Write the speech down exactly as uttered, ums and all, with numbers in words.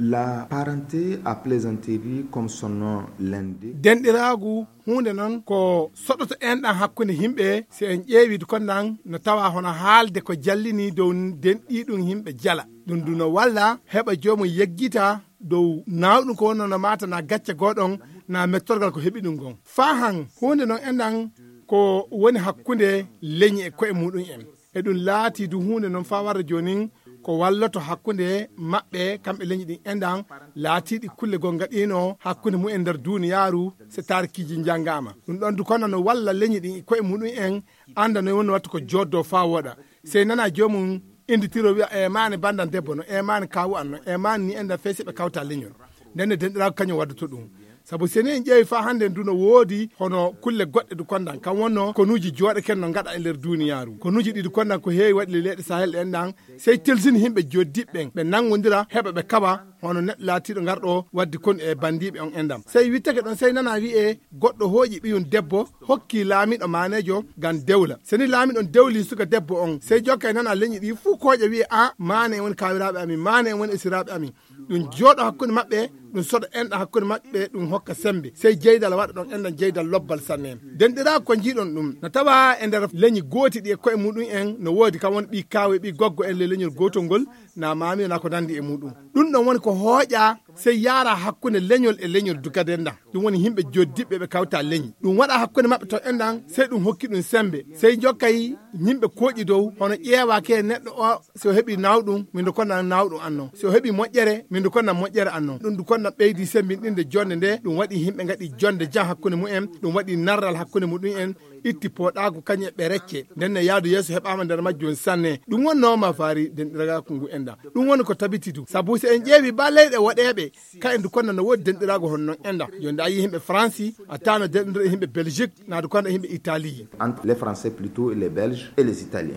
La parenté à plaisanterie, comme son nom l'indique. Denɗiraagu huunde noon ko soɗoto enɗan hakkunde yimɓe. Si en ƴeewii kon ɗan no tawaa hono haalde ko jallini dow denɗii ɗum yimɓe jala. Ɗum du no walla heɓa joomum yeggita dow naawɗum ko wonno no maata na gacce gooɗon na mettorgal ko heɓi ɗum ngon. Faa han huunde noon enɗan ko woni hakkunde leñi e ko'e muuɗum en. E ɗum laatii du huunde noon faa warde joonin ko walloto hakkunde maɓɓe kamɓe leñi ɗin enɗan laatiiɗi kulle goo ngaɗiino hakkunde mumen nder duuniyaaru. Se taarikiiji njanngaama ɗum ɗon du kono no walla leñi ɗin e ko'e muuɗum en annda no woni wattu ko jooddoo faa wooɗa. Sey nana joomum innditiro wi'a e maani banndan debbo no e maani kaawu an no e maani ni enɗan fey si ɓe kawta leñol. Nden ne denɗiraagu kañum waddoto ɗum. Sabu si ni en ƴeewi faa hannde ndu no woodi hono kulle goɗɗe du kondan kam wonno konuuji jooɗaken no ngaɗa e nder duuniyaaru. Konuuji ɗi du kondan ko heewi waɗi le leyɗe Sahel ɗen ɗan sey tilsini yimɓe joddiɓɓe ɓen ɓe nanngondira heɓa ɓe kawa hono neɗɗo laatiiɗo ngarɗo waddi konu e banndiiɓe on enɗam. Sey wittake ɗon sey nana wi'e goɗɗo hooƴi ɓiyum debbo hokki laamiiɗo maaneejo ngam dewla. Seni laamiiɗo on dewli suka debbo on sey jokka e nana leñi ɗi fuu kooƴa wi'e a maane en woni kaawiraaɓe amin maane en woni esiraaɓe amin. Ɗum jooɗo hakkunde maɓɓe ɗum soɗa enɗa hakkunde maɓɓe ɗum hokka sembe sey jeydal waɗa ɗon enɗan jeydal lobbal sanne. Denɗiraagu ko njiiɗon ɗum no tawa e nder leñi gooti ɗi e koye muɗum en no woodi kam won ɓi kaawe ɓi goggo en le leñol gootol ngol na maami wona ko nandi e muɗum. Ɗum ɗon woni ko hooƴa sey yaara hakkunde leñol e leñol dugaden ɗan. Ɗum woni yimɓe joddiɓɓe ɓe kawta leñi ɗum waɗa hakkunde maɓɓe ton enɗan sey ɗum hokki ɗum sembe sey jokkay yimɓe kooƴi dow hono ƴeewaake neɗɗo o si o heɓi nawɗum min du konnan nawɗum annon si o heɓi moƴƴere min du konnan moƴƴere annon ɗum du konnan ɓeydi sembinɗinde jonde nde ɗum waɗi yimɓe ngaɗi jonde jan hakkunde mumen ɗum waɗi narral hakkunde muɗum en itti pooɗaagu kañum e ɓe recce nden ne yaadu yeeso heɓaama nder majjum sanne. Ɗum wonnoo mafaari denɗiragaaku ngu enɗan ɗum woni ko tabiti du sabu si en ƴeewi ba leyɗe woɗeeɓe ka en du konnan no woodi denɗiraagu hono non enɗan jooni da yi yimɓe faransi a tano denɗiro e yimɓe belgique na du konnan e yimɓe italie. Entre les français plutôt et les belges et les italiens.